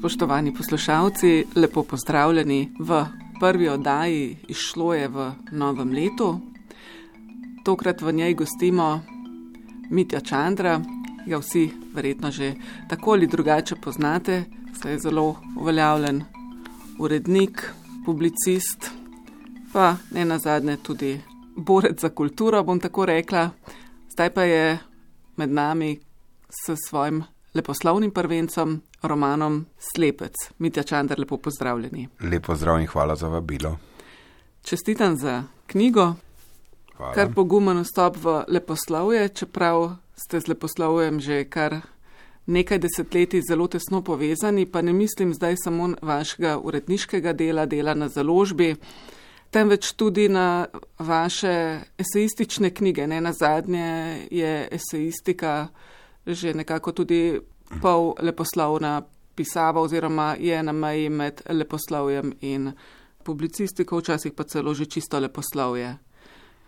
Spoštovani poslušalci, lepo pozdravljeni v prvi oddaji Izšlo je v novem letu. Tokrat v njej gostimo Mitja Čandra, ga vsi verjetno že tako ali drugače poznate, saj je zelo uveljavljen urednik, publicist, pa ne nazadnje tudi borec za kulturo, bom tako rekla. Zdaj pa je med nami s svojim leposlovnim prvencem, romanom Slepec. Mitja Čander, lepo pozdravljeni. Lepo pozdrav in hvala za vabilo. Čestitam za knjigo. Hvala. Kar pogumen vstop v leposlovje, čeprav ste z leposlovjem že kar nekaj desetletij zelo tesno povezani, pa ne mislim zdaj samo vašega uredniškega dela na založbi, temveč tudi na vaše esejistične knjige. Ne nazadnje je esejistika že nekako tudi pol leposlovna pisava oziroma je na meji med leposlovjem in publicistiko, včasih pa celo že čisto leposlovje.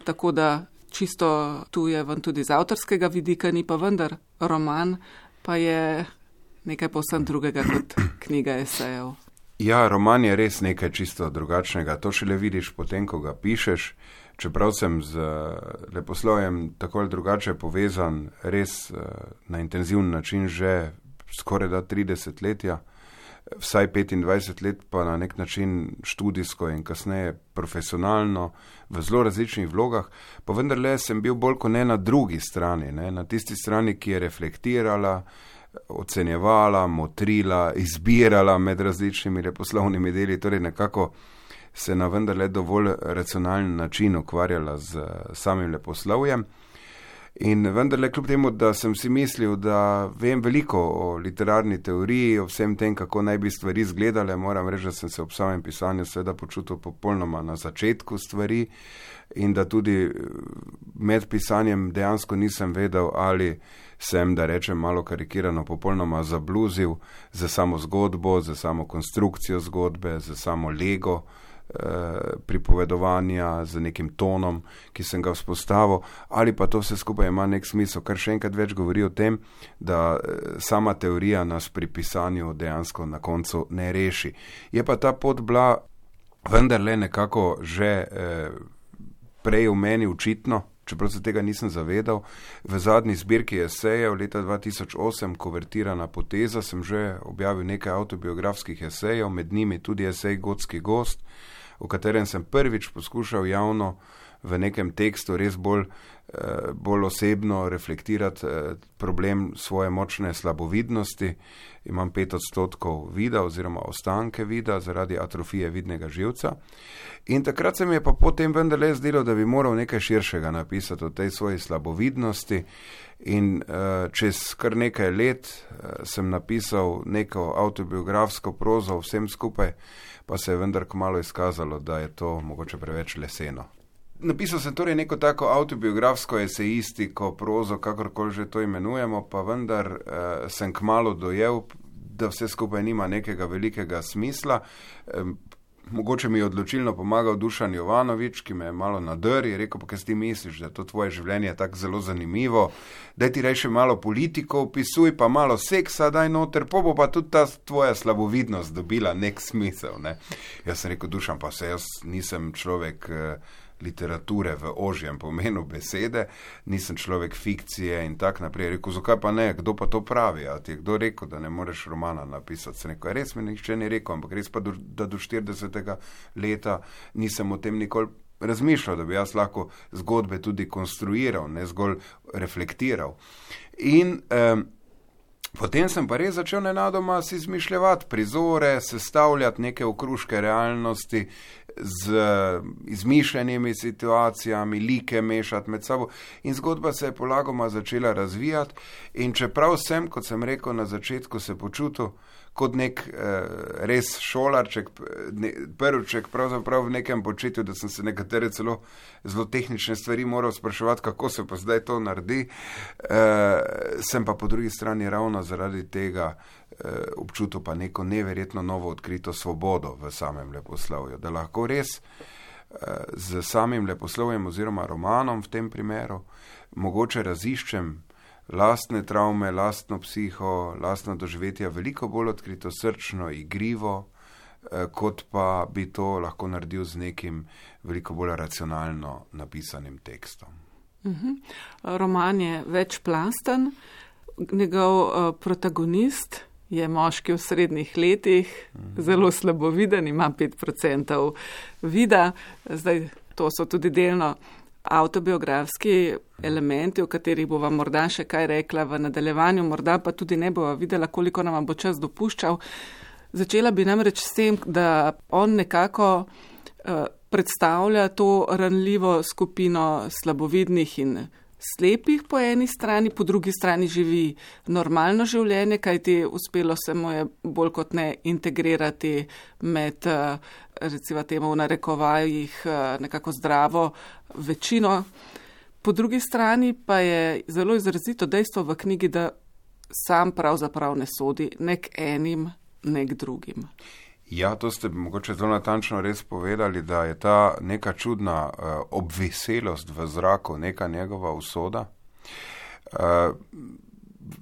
Tako da čisto tu je ven tudi z avtorskega vidika, ni pa vendar roman, pa je nekaj povsem drugega kot knjiga esejev. Ja, roman je res nekaj čisto drugačnega. To šele vidiš potem, ko ga pišeš. Čeprav sem z leposlovjem tako ali drugače povezan res na intenzivni način že skoraj 30 letja, vsaj 25 let pa na nek način študijsko in kasneje profesionalno v zelo različnih vlogah, pa vendarle sem bil bolj kot ne na drugi strani, ne, na tisti strani, ki je reflektirala, ocenjevala, motrila, izbirala med različnimi leposlovnimi deli, torej nekako se na vendarle dovolj racionalen način ukvarjala z samim leposlovjem. In vendarle kljub temu, da sem si mislil, da vem veliko o literarni teoriji, o vsem tem, kako naj bi stvari izgledale, moram reči, da sem se ob samem pisanju seveda počutil popolnoma na začetku stvari in da tudi med pisanjem dejansko nisem vedel, ali sem, da rečem malo karikirano, popolnoma zabluzil za samo zgodbo, za samo konstrukcijo zgodbe, za samo lego pripovedovanja z nekim tonom, ki sem ga vzpostavil, ali pa to vse skupaj ima nek smisel, kar še enkrat več govori o tem, da sama teorija nas pri pisanju dejansko na koncu ne reši. Je pa ta pot bila vendarle nekako že prej v meni očitno, čeprav se tega nisem zavedal. V zadnji zbirki esejev leta 2008, Kuvertirana poteza, sem že objavil nekaj avtobiografskih esejev, med njimi tudi esej Gotski gost, v katerem sem prvič poskušal javno v nekem tekstu res bolj osebno reflektirati problem svoje močne slabovidnosti. Imam 5% vida oziroma ostanke vida zaradi atrofije vidnega živca. In takrat se mi je pa potem vendarle zdelo, da bi moral nekaj širšega napisati o tej svoji slabovidnosti. In čez kar nekaj let sem napisal neko avtobiografsko prozo vsem skupaj, pa se je vendar kmalu izkazalo, da je to mogoče preveč leseno. Napisal sem torej neko tako avtobiografsko esejistiko, prozo, kakorkoli že to imenujemo, pa vendar sem kmalu dojel, da vse skupaj nima nekega velikega smisla. Mogoče mi je odločilno pomagal Dušan Jovanovič, ki me je malo nadrl, je rekel, pa kaj ti misliš, da to tvoje življenje je tako zelo zanimivo, daj ti reči malo politiko, opisuj pa malo seksa, daj noter, pa bo pa tudi ta tvoja slabovidnost dobila nek smisel. Ne? Jaz sem rekel, Dušan, pa se jaz nisem človek literature v ožjem pomenu besede, nisem človek fikcije in tak naprej. Rekel, zakaj pa ne, kdo pa to pravi? A ti je kdo rekel, da ne moreš romana napisati? Sem rekel, res mi nihče ni rekel, ampak res pa da do 40. leta nisem o tem nikoli razmišljal, da bi jaz lahko zgodbe tudi konstruiral, ne zgolj reflektiral. In potem sem pa res začel nenadoma si izmišljevati prizore, sestavljati neke okruške realnosti z izmišljenimi situacijami, like mešati med sabo in zgodba se je polagoma začela razvijati in čeprav sem, kot sem rekel na začetku, se počutil kot nek res šolarček, prviček pravzaprav v nekem početju, da sem se nekatere celo zelo tehnične stvari moral spraševati, kako se pa zdaj to naredi, sem pa po drugi strani ravno zaradi tega občutil pa neko neverjetno novo odkrito svobodo v samem leposlovju, da lahko res z samim leposlovjem oziroma romanom v tem primeru mogoče raziščem lastne travme, lastno psiho, lastno doživetje veliko bolj odkrito, srčno, igrivo, kot pa bi to lahko naredil z nekim veliko bolj racionalno napisanim tekstom. Roman je večplasten, njegov protagonist je moški v srednjih letih, zelo slaboviden, ima 5% vida. Zdaj, to so tudi delno avtobiografski elementi, o katerih bova morda še kaj rekla v nadaljevanju, morda pa tudi ne bova videla, koliko nam bo čas dopuščal. Začela bi namreč s tem, da on nekako predstavlja to ranljivo skupino slabovidnih in slepih po eni strani, po drugi strani živi normalno življenje, kajti uspelo se mu je bolj kot ne integrirati med, recimo temu v narekovajih, nekako zdravo večino. Po drugi strani pa je zelo izrazito dejstvo v knjigi, da sam pravzaprav ne sodi nek enim, nek drugim. Ja, to ste mogoče zelo natančno res povedali, da je ta neka čudna obveselost v zraku, neka njegova usoda.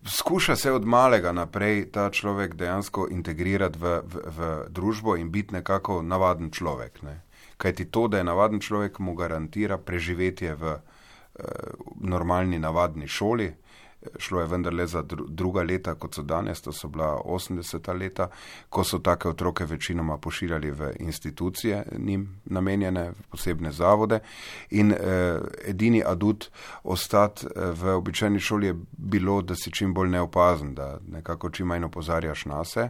Skuša se od malega naprej ta človek dejansko integrirati v družbo in biti nekako navaden človek. Ne? Kajti to, da je navaden človek, mu garantira preživetje v normalni, navadni šoli. Šlo je vendarle za druga leta, kot so danes, to so bila 80. leta, ko so take otroke večinoma pošiljali v institucije, njim namenjene, v posebne zavode. In edini adut ostati v običajni šoli je bilo, da si čim bolj neopazen, da nekako čim manj opozarjaš na se.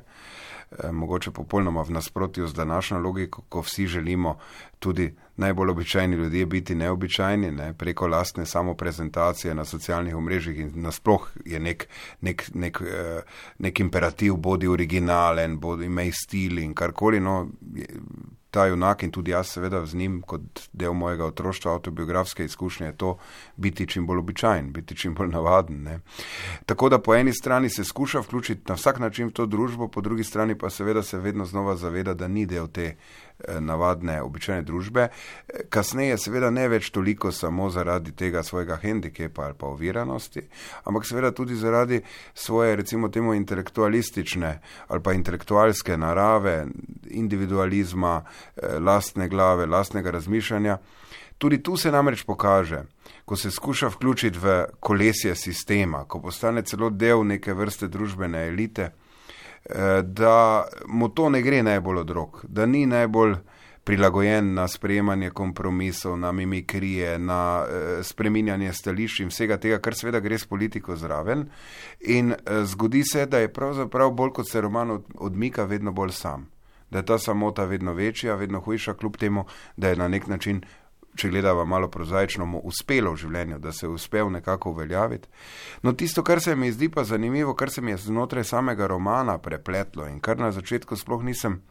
Mogoče popolnoma v nasprotju z današnjo logiko, ko vsi želimo tudi najbolj običajni ljudje biti neobičajni, ne, preko lastne samoprezentacije na socialnih omrežjih in nasploh je nek imperativ, bodi originalen, bodi imej stil in karkoli, no, ta junak in tudi jaz seveda z njim kot del mojega otroštva, avtobiografske izkušnje je to biti čim bolj običajen, biti čim bolj navaden. Ne. Tako da po eni strani se skuša vključiti na vsak način v to družbo, po drugi strani pa seveda se vedno znova zaveda, da ni del te navadne, običajne družbe. Kasneje seveda ne več toliko samo zaradi tega svojega hendikepa ali pa oviranosti, ampak seveda tudi zaradi svoje, recimo temu, intelektualistične ali pa intelektualske narave, individualizma, lastne glave, lastnega razmišljanja. Tudi tu se namreč pokaže, ko se skuša vključiti v kolesje sistema, ko postane celo del neke vrste družbene elite, da mu to ne gre najbolj od rok, da ni najbolj prilagojen na sprejemanje kompromisov, na mimikrije, na spreminjanje stališč in vsega tega, kar seveda gre s politiko zraven. In zgodi se, da je pravzaprav bolj kot se roman odmika vedno bolj sam. Da je ta samota vedno večja, vedno hujša, kljub temu, da je na nek način, če gledava malo prozaično, mu uspelo v življenju, da se je uspel nekako uveljaviti. No, tisto, kar se mi zdi pa zanimivo, kar se mi je znotraj samega romana prepletlo in kar na začetku sploh nisem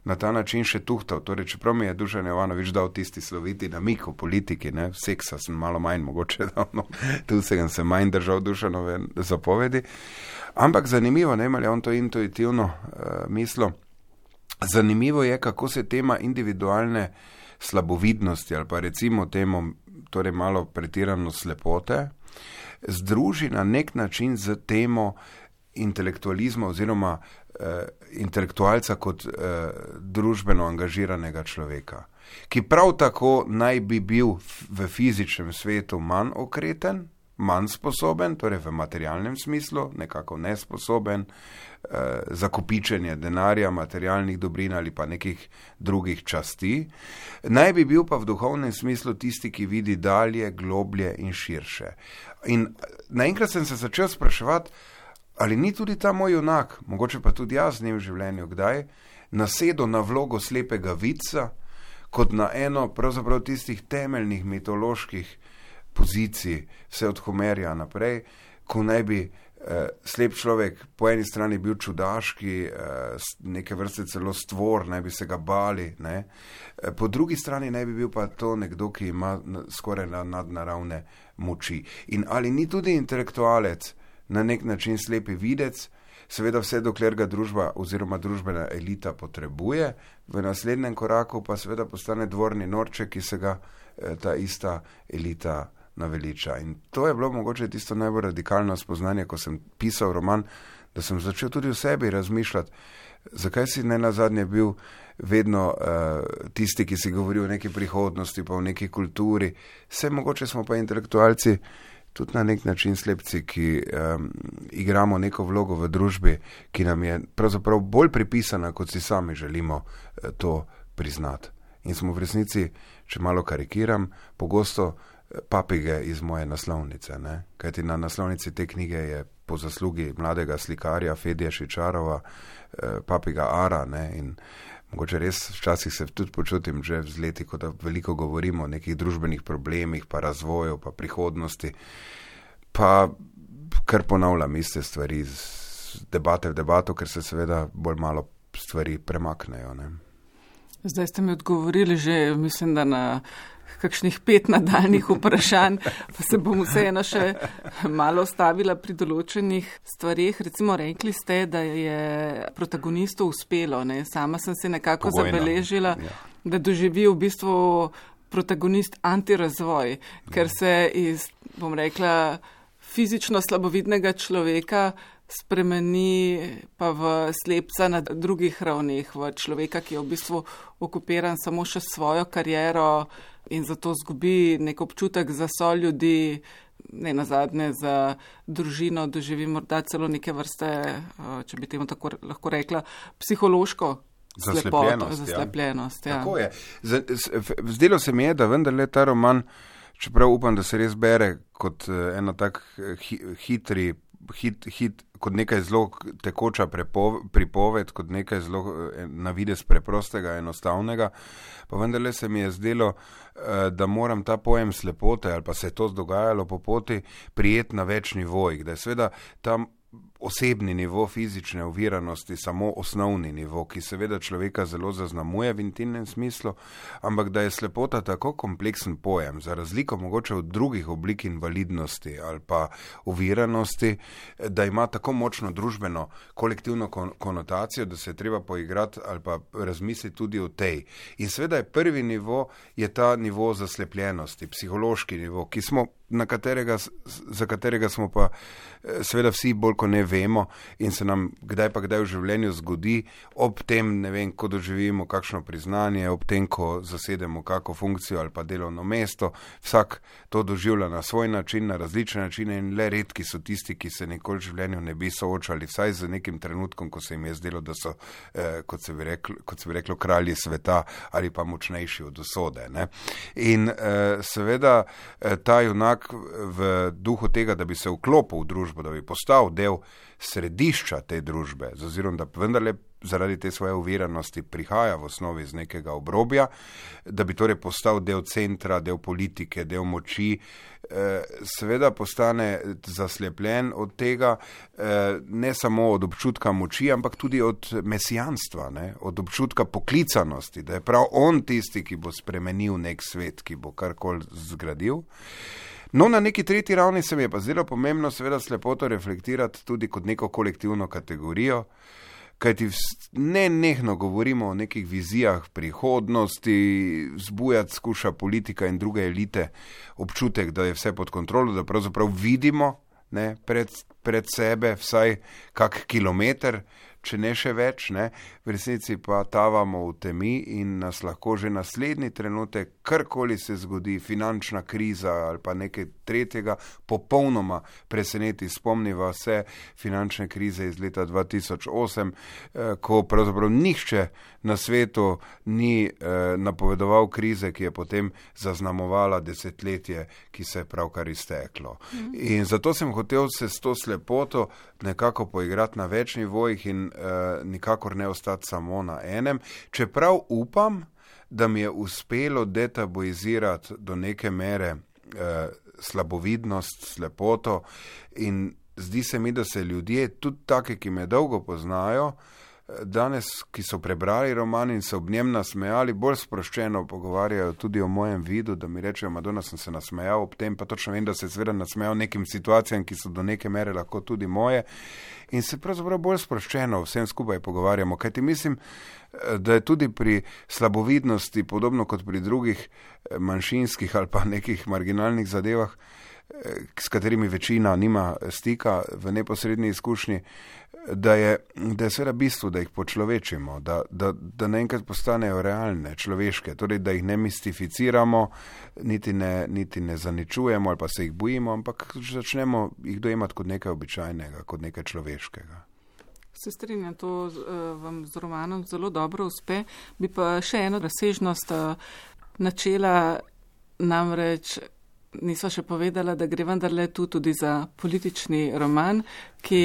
na ta način še tuhtal, torej čeprav mi je Dušan Jovanović dal tisti sloviti namik o politiki, ne, seksa sem malo manj mogoče dal, no, tu sem se manj držal Dušanove zapovedi, ampak zanimivo, ne, ali je on to intuitivno mislil, zanimivo je, kako se tema individualne slabovidnosti ali pa recimo temu, torej malo pretirano slepote, združi na nek način z temo intelektualizma oziroma intelektualca kot družbeno angažiranega človeka, ki prav tako naj bi bil v fizičnem svetu manj okreten, manj sposoben, torej v materialnem smislu, nekako nesposoben za kopičenje denarja, materialnih dobrin ali pa nekih drugih časti. Naj bi bil pa v duhovnem smislu tisti, ki vidi dalje, globlje in širše. In naenkrat sem se začel spraševati, ali ni tudi ta moj junak, mogoče pa tudi jaz z njim v življenju kdaj, nasedel na vlogo slepega vidca, kot na eno pravzaprav tistih temeljnih mitoloških pozicij, vse od Homerja naprej, ko naj bi slep človek po eni strani bil čudaški, neke vrste celo stvor, naj bi se ga bali, ne? Po drugi strani naj bi bil pa to nekdo, ki ima skoraj nadnaravne moči. In ali ni tudi intelektualec na nek način slepi videc, seveda vse dokler ga družba oziroma družbena elita potrebuje, v naslednjem koraku pa seveda postane dvorni norček, ki se ga ta ista elita naveliča. In to je bilo mogoče tisto najbolj radikalno spoznanje, ko sem pisal roman, da sem začel tudi v sebi razmišljati, zakaj si ne nazadnje bil vedno tisti, ki si govori o neki prihodnosti, pa o neki kulturi. Vse mogoče smo pa intelektualci tudi na nek način slepci, ki igramo neko vlogo v družbi, ki nam je pravzaprav bolj pripisana, kot si sami želimo to priznati. In smo v resnici, če malo karikiram, pogosto papige iz moje naslovnice. Ne? Kajti na naslovnici te knjige je po zaslugi mladega slikarja Fedija Šičarova papiga Ara. Ne? In mogoče res včasih se tudi počutim že z leti, ko da veliko govorimo o nekih družbenih problemih, pa razvoju, pa prihodnosti, pa kar ponavljam iste stvari z debate v debato, ker se seveda bolj malo stvari premaknejo. Ne? Zdaj ste mi odgovorili že, mislim, da na kakšnih 5 nadaljnih vprašanj, pa se bom vseeno še malo ostavila pri določenih stvarih. Recimo rekli ste, da je protagonistu uspelo. Ne? Sama sem si nekako zabeležila, da doživi v bistvu protagonist antirazvoj, ker se iz, bom rekla, fizično slabovidnega človeka spremeni pa v slepca na drugih ravneh, v človeka, ki je v bistvu okupiran samo še svojo kariero in zato zgubi nek občutek za soljudi, ne nazadnje za družino, doživi morda celo neke vrste, če bi temu tako lahko rekla, psihološko zaslepljenost. Ja. Tako je. Zdelo se mi je, da vendarle ta roman, čeprav upam, da se res bere kot ena tak kot nekaj zelo tekoča pripoved, kot nekaj zelo na videz preprostega, enostavnega, pa vendarle se mi je zdelo, da moram ta pojem slepote, ali pa se je to dogajalo po poti, prijeti na več nivojih, da je seveda tam osebni nivo fizične oviranosti samo osnovni nivo, ki seveda človeka zelo zaznamuje v intimnem smislu, ampak da je slepota tako kompleksen pojem, za razliko mogoče od drugih oblik invalidnosti ali pa oviranosti, da ima tako močno družbeno kolektivno konotacijo, da se je treba poigrati ali pa razmisliti tudi o tej. In seveda je prvi nivo, je ta nivo zaslepljenosti, psihološki nivo, za katerega smo pa seveda vsi bolj ko ne vemo in se nam kdaj v življenju zgodi, ob tem, ne vem, ko doživimo kakšno priznanje, ob tem, ko zasedemo kako funkcijo ali pa delovno mesto, vsak to doživlja na svoj način, na različne načine in le redki so tisti, ki se nikoli v življenju ne bi soočali, vsaj z nekim trenutkom, ko se jim je zdelo, da so, kot se bi reklo, kralji sveta ali pa močnejši od usode. Ne? In seveda ta junak v duhu tega, da bi se vklopil v družbo, da bi postal del središča te družbe, z ozirom, da vendarle zaradi te svoje oviranosti prihaja v osnovi iz nekega obrobja, da bi torej postal del centra, del politike, del moči, seveda postane zaslepljen od tega, ne samo od občutka moči, ampak tudi od mesijanstva, ne? Od občutka poklicanosti, da je prav on tisti, ki bo spremenil nek svet, ki bo karkoli zgradil. No, na neki tretji ravni se mi je pa zdelo pomembno seveda slepoto reflektirati tudi kot neko kolektivno kategorijo, kajti nenehno govorimo o nekih vizijah prihodnosti, vzbujati skuša politika in druge elite občutek, da je vse pod kontrolo, da pravzaprav vidimo, ne, pred sebe vsaj kak kilometer, če ne še več, ne, v resnici pa tavamo v temi in nas lahko že naslednji trenutek, karkoli se zgodi, finančna kriza ali pa nekaj tretjega, popolnoma preseneti. Spomniva se finančne krize iz leta 2008, ko pravzaprav nihče na svetu ni napovedoval krize, ki je potem zaznamovala desetletje, ki se je pravkar izteklo. In zato sem hotel se s to slepoto nekako poigrati na več nivojih in nikakor ne ostati samo na enem, čeprav upam, da mi je uspelo detabuizirati do neke mere slabovidnost, slepoto in zdi se mi, da se ljudje, tudi take, ki me dolgo poznajo, danes, ki so prebrali roman in se ob njem nasmejali, bolj sproščeno pogovarjajo tudi o mojem vidu, da mi rečejo, Madonna, sem se nasmejal ob tem, pa točno vem, da se seveda nasmejal nekim situacijam, ki so do neke mere lahko tudi moje, in se pravzaprav bolj sproščeno vsem skupaj pogovarjamo, kajti mislim, da je tudi pri slabovidnosti, podobno kot pri drugih manjšinskih ali pa nekih marginalnih zadevah, s katerimi večina nima stika v neposredni izkušnji, da je seveda bistvo, da jih počlovečimo, da naenkrat postanejo realne, človeške, torej da jih ne mistificiramo, niti ne zaničujemo ali pa se jih bojimo, ampak začnemo jih dojemati kot nekaj običajnega, kot nekaj človeškega. Se strinjam, to vam z romanom zelo dobro uspe. Bi pa še eno razsežnost načela, namreč nisva še povedala, da gre vendarle tu tudi za politični roman, ki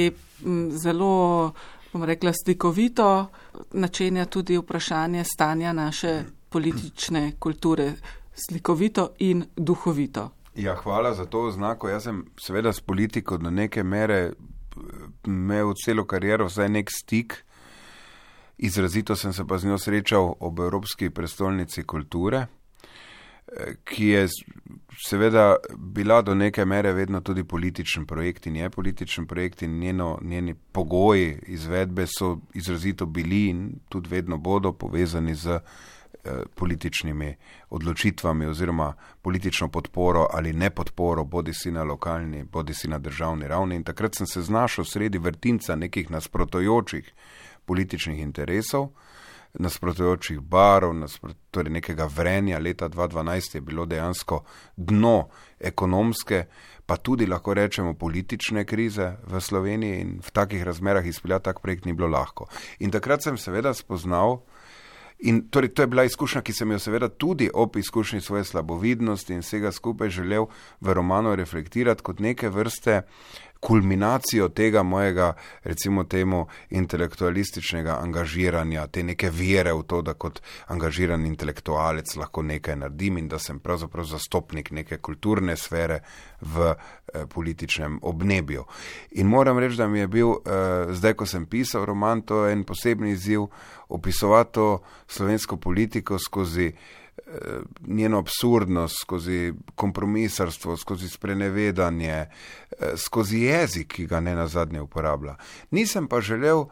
zelo, bom rekla, slikovito načenja tudi vprašanje stanja naše politične kulture, slikovito in duhovito. Ja, hvala za to oznako. Jaz sem seveda s politiko do neke mere imel celo kariero vsaj nek stik, izrazito sem se pa z njo srečal ob Evropski prestolnici kulture, ki je seveda bila do neke mere vedno tudi političen projekt in je političen projekt in njeni pogoji izvedbe so izrazito bili in tudi vedno bodo povezani z političnimi odločitvami oziroma politično podporo ali nepodporo, bodi si na lokalni, bodi si na državni ravni. In takrat sem se znašel sredi vrtinca nekih nasprotujočih političnih interesov, nasprotujočih barov, torej nekega vrenja. Leta 2012 je bilo dejansko dno ekonomske, pa tudi lahko rečemo politične krize v Sloveniji in v takih razmerah izpeljati tak projekt ni bilo lahko. In takrat sem seveda spoznal, in torej to je bila izkušnja, ki sem jo seveda tudi ob izkušnji svoje slabovidnosti in vsega skupaj želel v romanu reflektirati kot neke vrste kulminacijo tega mojega, recimo temu, intelektualističnega angažiranja, te neke vere v to, da kot angažiran intelektualec lahko nekaj naredim in da sem pravzaprav zastopnik neke kulturne sfere v političnem obnebju. In moram reči, da mi je bil, zdaj ko sem pisal roman, to je en posebni izziv, opisovati to slovensko politiko skozi njeno absurdnost, skozi kompromisarstvo, skozi sprenevedanje, skozi jezik, ki ga ne nazadnje uporablja. Nisem pa želel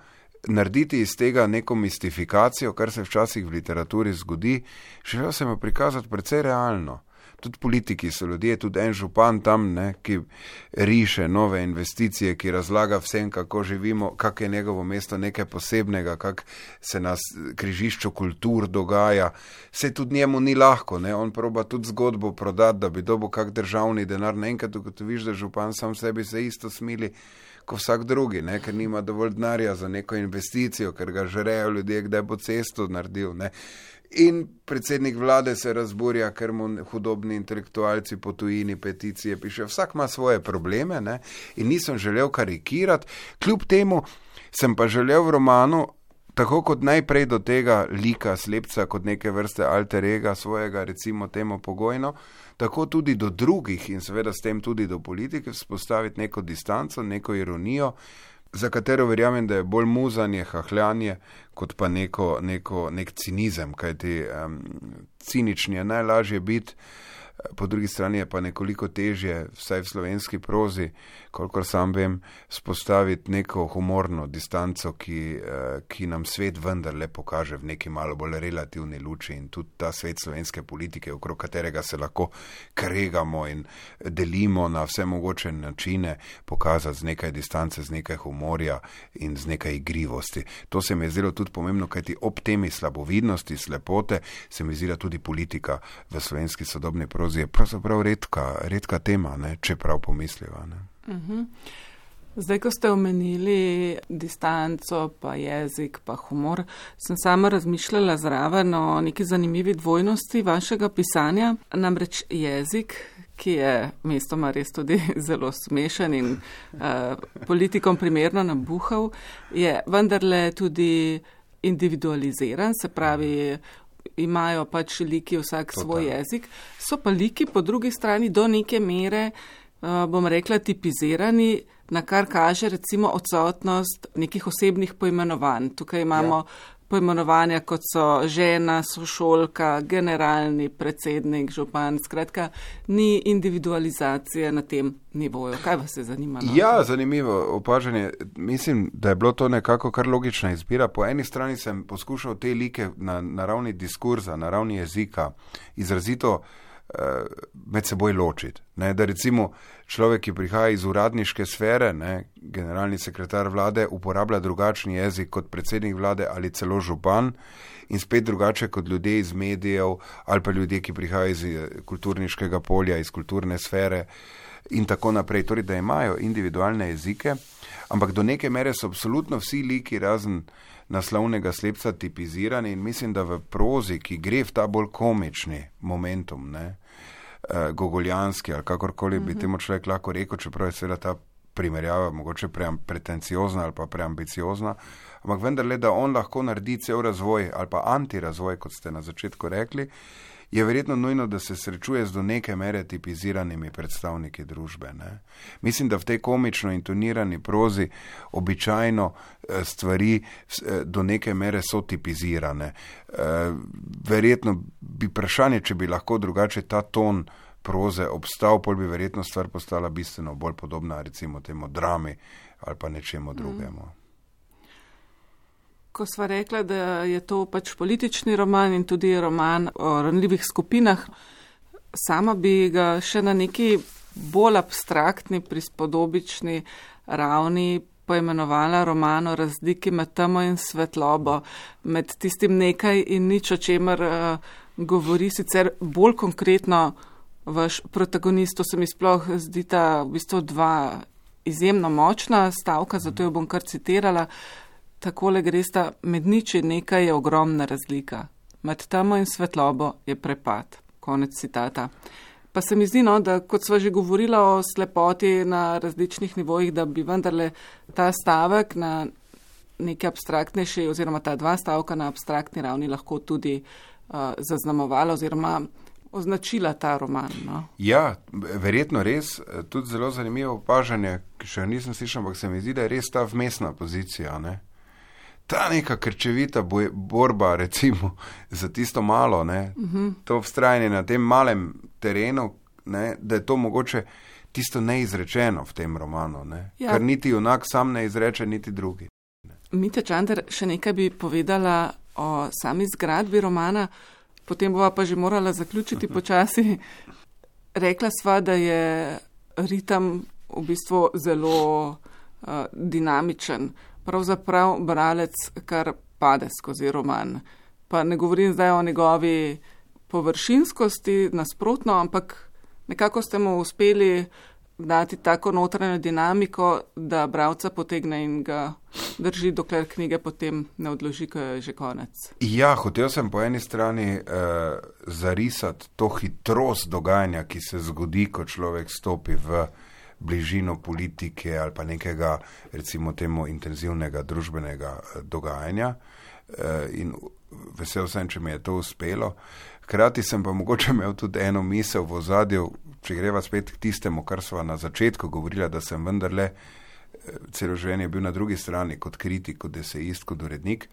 narediti iz tega neko mistifikacijo, kar se včasih v literaturi zgodi, želel sem jo prikazati precej realno. Tudi politiki so ljudje, tudi en župan tam, ki riše nove investicije, ki razlaga vsem, kako živimo, kak je njegovo mesto nekaj posebnega, kak se na križišču kultur dogaja. Saj tudi njemu ni lahko, on proba tudi zgodbo prodati, da bi dobil kak državni denar. Naenkrat ugotoviš, da župan sam sebi se isto smili kot vsak drugi, ker nima dovolj denarja za neko investicijo, ker ga žrejo ljudje, kdaj bo cesto naredil. In predsednik vlade se razburja, ker mu hudobni intelektualci po tujini peticije piše. Vsak ima svoje probleme, in nisem želel karikirati. Kljub temu sem pa želel v romanu, tako kot najprej do tega lika slepca, kot neke vrste alter ega svojega, recimo temu pogojno, tako tudi do drugih in seveda s tem tudi do politike vzpostaviti neko distanco, neko ironijo, za katero verjamem, da je bolj muzanje, hahljanje, kot pa nek cinizem, kajti cinični je najlažje biti, po drugi strani je pa nekoliko težje, vsaj v slovenski prozi, kolikor sam vem, spostaviti neko humorno distanco, ki nam svet vendarle pokaže v neki malo bolj relativni luči in tudi ta svet slovenske politike, okrog katerega se lahko kregamo in delimo na vse mogoče načine, pokazati z nekaj distance, z nekaj humorja in z nekaj igrivosti. To se mi je zdelo tudi pomembno, kajti ob temi slabovidnosti, slepote, se mi zdi tudi politika v slovenski sodobni prozi je pravzaprav redka tema, če prav pomisliva. Zdaj, ko ste omenili distanco, pa jezik, pa humor, sem sama razmišljala zraven o neki zanimivi dvojnosti vašega pisanja. Namreč jezik, ki je mestoma res tudi zelo smešen in politikom primerno nabuhal, je vendarle tudi individualiziran, se pravi, imajo pač liki vsak svoj jezik. So pa liki po drugi strani do neke mere bom rekla, tipizirani, na kar kaže recimo odsotnost nekih osebnih poimenovanj. Tukaj imamo poimenovanja, kot so žena, sošolka, generalni predsednik, župan, skratka, ni individualizacije na tem nivoju. Kaj vas je zanimalo? Ja, zanimivo opažanje. Mislim, da je bilo to nekako kar logična izbira. Po eni strani sem poskušal te like na ravni diskurza, na ravni jezika izrazito med seboj ločiti. Da recimo človek, ki prihaja iz uradniške sfere, generalni sekretar vlade, uporablja drugačni jezik kot predsednik vlade ali celo župan in spet drugače kot ljudje iz medijev ali pa ljudje, ki prihajajo iz kulturniškega polja, iz kulturne sfere in tako naprej. Torej, da imajo individualne jezike, ampak do neke mere so absolutno vsi liki razen naslovnega slepca tipizirani in mislim, da v prozi, ki gre v ta bolj komični momentum, gogoljanski ali kakorkoli bi temu človek lahko rekel, čeprav je seveda ta primerjava mogoče pretenciozna ali pa preambiciozna, ampak vendarle, da on lahko naredi cel razvoj ali pa antirazvoj, kot ste na začetku rekli, je verjetno nujno, da se srečuje z do neke mere tipiziranimi predstavniki družbe. Mislim, da v tej komično intonirani prozi običajno stvari do neke mere so tipizirane. Verjetno bi vprašanje, če bi lahko drugače ta ton proze obstal, pol bi verjetno stvar postala bistveno bolj podobna recimo temu drami ali pa nečemu drugemu. Ko sva rekla, da je to pač politični roman in tudi roman o ranljivih skupinah, sama bi ga še na neki bolj abstraktni, prispodobični ravni poimenovala roman o razliki med temo in svetlobo, med tistim nekaj in nič, o čemer govori sicer bolj konkretno vaš protagonist. To se mi sploh zdita v bistvu dva izjemno močna stavka, zato jo bom kar citirala. Takole gresta, med nič in nekaj je ogromna razlika. Med temo in svetlobo je prepad. Konec citata. Pa se mi zdi, da kot sva že govorila o slepoti na različnih nivojih, da bi vendarle ta stavek na neki abstraktnejši oziroma ta dva stavka na abstraktni ravni lahko tudi zaznamovala oziroma označila ta roman. Ja, verjetno res. Tudi zelo zanimivo opažanje, ki še nisem slišal, ampak se mi zdi, da je res ta vmesna pozicija, Ta neka krčevita borba, recimo, za tisto malo, to vztrajanje na tem malem terenu, da je to mogoče tisto neizrečeno v tem romanu, kar niti junak sam ne izreče, niti drugi. Mitja Čander, še nekaj bi povedala o sami zgradbi romana, potem bova pa že morala zaključiti počasi. Rekla sva, da je ritem v bistvu zelo dinamičen. Pravzaprav bralec kar pade skozi roman. Pa ne govorim zdaj o njegovi površinskosti, nasprotno, ampak nekako ste mu uspeli dati tako notranjo dinamiko, da bralca potegne in ga drži, dokler knjige potem ne odloži, ko je že konec. Ja, hotel sem po eni strani zarisati to hitrost dogajanja, ki se zgodi, ko človek stopi v bližino politike ali pa nekega, recimo temu, intenzivnega družbenega dogajanja in vesel sem, če mi je to uspelo. Hkrati sem pa mogoče imel tudi eno misel v ozadju, če greva spet k tistemu, kar sva na začetku govorila, da sem vendarle celo življenje bil na drugi strani kot kritik, kot esejist, kot urednik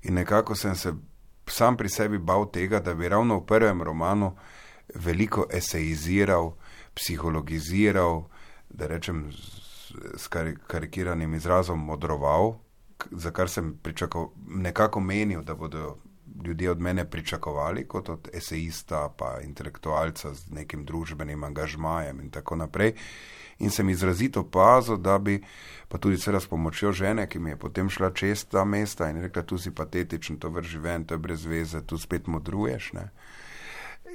in nekako sem se sam pri sebi bal tega, da bi ravno v prvem romanu veliko esejiziral, psihologiziral, da rečem s karikiranim izrazom modroval, za kar sem nekako menil, da bodo ljudje od mene pričakovali kot od esejista pa intelektualca z nekim družbenim angažmajem in tako naprej. In sem izrazito pazil, da bi, pa tudi seveda s pomočjo žene, ki mi je potem šla čez ta mesta in rekla, tu si patetičen, to vrži ven, to je brez veze, tu spet modruješ.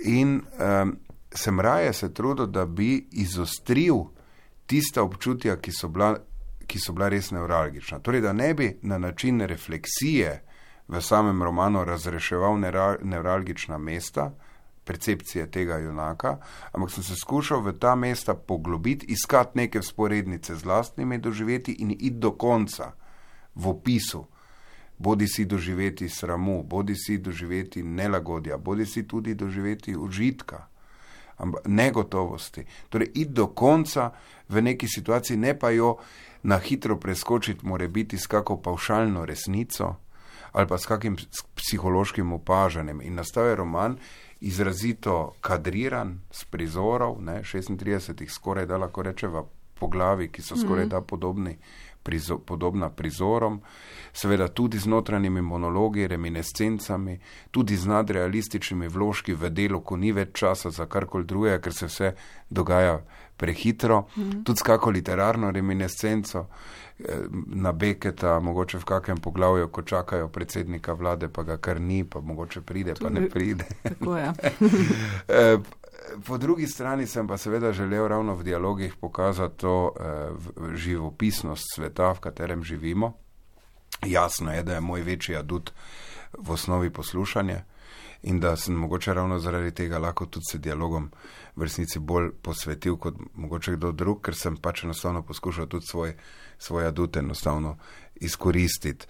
In sem raje se trudil, da bi izostril tista občutja, ki so bila res nevralgična. Torej, da ne bi na način refleksije v samem romanu razreševal nevralgična mesta, percepcije tega junaka, ampak sem se skušal v ta mesta poglobiti, iskati neke vzporednice z lastnimi doživeti in iti do konca v opisu. Bodi si doživeti sramu, bodi si doživeti nelagodja, bodi si tudi doživeti užitka. negotovosti. Torej, iti do konca v neki situaciji, ne pa jo na hitro preskočiti, more biti s kako pavšalno resnico ali pa s kakim psihološkim opažanjem. In nastal je roman izrazito kadriran, s prizorov, 36 skoraj da lahko rečeva poglavi, ki so skoraj da podobna prizorom, seveda tudi z notranjimi monologi, reminiscencami, tudi z nadrealističnimi vložki v delu, ko ni več časa za karkoli drugega, ker se vse dogaja prehitro, tudi s kako literarno reminiscenco, na Beketa, mogoče v kakem poglavju, ko čakajo predsednika vlade, pa ga kar ni, pa mogoče pride, pa ne pride. Tako je. Po drugi strani sem pa seveda želel ravno v dialogih pokazati to živopisnost sveta, v katerem živimo. Jasno je, da je moj večji adut v osnovi poslušanje in da sem mogoče ravno zaradi tega lahko tudi se dialogom v resnici bolj posvetil kot mogoče kdo drug, ker sem pač enostavno poskušal tudi svoj adut enostavno izkoristiti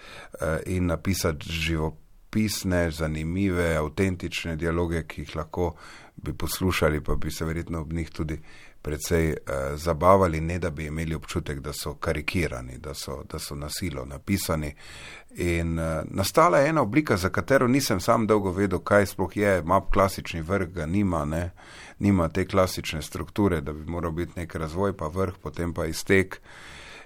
in napisati živopisne, zanimive, avtentične dialoge, ki jih lahko bi poslušali, pa bi se verjetno ob njih tudi precej zabavali, ne da bi imeli občutek, da so karikirani, da so na silo napisani. In nastala je ena oblika, za katero nisem sam dolgo vedel, kaj sploh je, ima klasični vrh, ga nima te klasične strukture, da bi moral biti nek razvoj, pa vrh, potem pa iztek.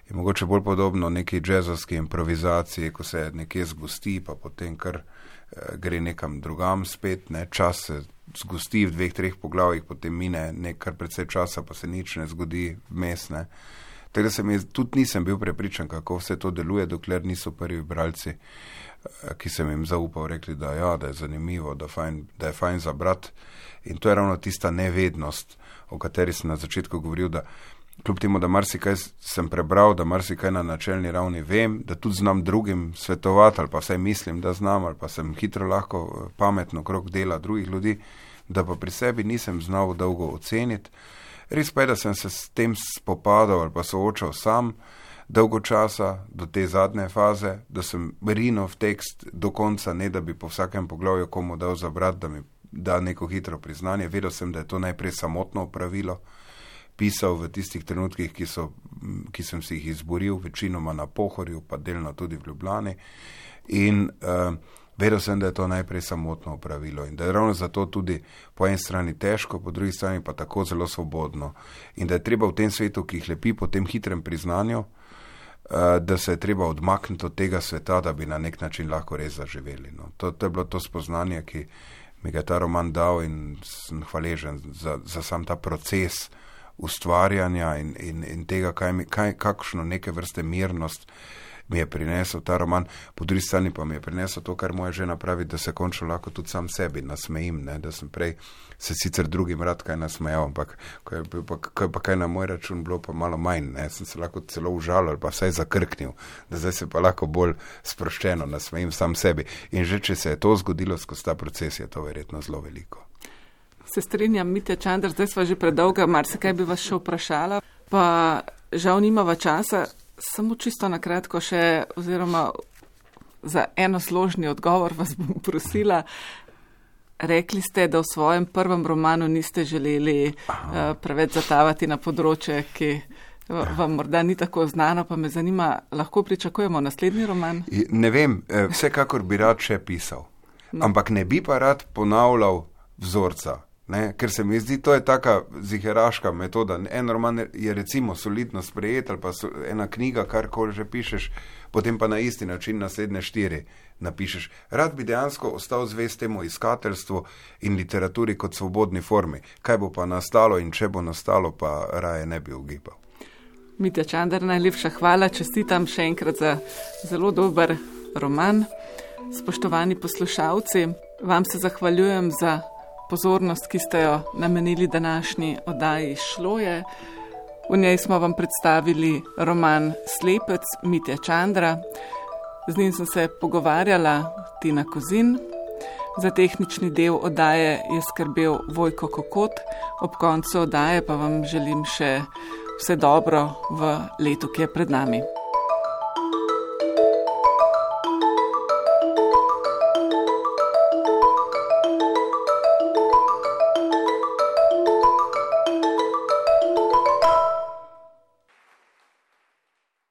In mogoče bolj podobno neki džezovski improvizaciji, ko se nekje zgosti, pa potem kar gre nekam drugam spet, čas se zgosti v 2-3 poglavjih, potem mine nekaj precej časa, pa se nič ne zgodi vmes. Tega tudi nisem bil prepričan, kako vse to deluje, dokler niso prvi bralci, ki sem jim zaupal, rekli, da je zanimivo, da je fajn za brat. In to je ravno tista nevednost, o kateri sem na začetku govoril, da kljub temu, da marsikaj sem prebral, da marsikaj na načelni ravni vem, da tudi znam drugim svetovati, ali pa vsaj mislim, da znam, ali pa sem hitro lahko pametno krog dela drugih ljudi, da pa pri sebi nisem znal dolgo oceniti. Res pa je, da sem se s tem spopadal ali pa soočal sam dolgo časa do te zadnje faze, da sem rinil v tekst do konca, ne da bi po vsakem poglavju komu dal za brat, da mi da neko hitro priznanje. Vedel sem, da je to najprej samotno opravilo, pisal v tistih trenutkih, ki sem si jih izboril, večinoma na Pohorju, pa delno tudi v Ljubljani. In vedel sem, da je to najprej samotno opravilo in da je ravno zato tudi po eni strani težko, po drugi strani pa tako zelo svobodno. In da je treba v tem svetu, ki jih lepi po tem hitrem priznanju, da se je treba odmakniti od tega sveta, da bi na nek način lahko res zaživeli. To je bilo to spoznanje, ki mi ga je ta roman dal in sem hvaležen za sam ta proces ustvarjanja in tega, kakšno neke vrste mirnost mi je prinesel ta roman. Po drugi strani pa mi je prinesel to, kar moja žena pravi, da se končno lahko tudi sam sebi nasmejim, da sem prej se sicer drugim rad kaj nasmejal, ampak ko je pa kaj na moj račun bilo pa malo manj, sem se lahko celo užalil ali pa vsaj zakrknil, da zdaj se pa lahko bolj sproščeno nasmejim sam sebi. In že če se je to zgodilo skozi ta proces, je to verjetno zelo veliko. Se strinjam, Mitja Čander, zdaj sva že predolga, marsikaj bi vas še vprašala, pa žal nimava časa. Samo čisto na kratko še, oziroma za enosložni odgovor vas bom prosila. Rekli ste, da v svojem prvem romanu niste želeli preveč zatavati na področje, ki vam morda ni tako znano, pa me zanima, lahko pričakujemo naslednji roman? Ne vem, vsekakor bi rad še pisal, ampak ne bi pa rad ponavljal vzorca. Ker se mi zdi, to je taka ziheraška metoda. En roman je recimo solidno sprejet ali pa ena knjiga, karkoli že pišeš, potem pa na isti način naslednje 4 napišeš. Rad bi dejansko ostal zvest temu iskateljstvu in literaturi kot svobodni formi. Kaj bo pa nastalo in če bo nastalo, pa raje ne bi ugibal. Mitja Čander, najlepša hvala, čestitam še enkrat za zelo dober roman. Spoštovani poslušalci, vam se zahvaljujem za pozornost, ki ste jo namenili današnji oddaji Šloje. V njej smo vam predstavili roman Slepec Mitje Čandra. Z njim sem se pogovarjala Tina Kozin. Za tehnični del oddaje je skrbel Vojko Kokot. Ob koncu oddaje pa vam želim še vse dobro v letu, ki je pred nami.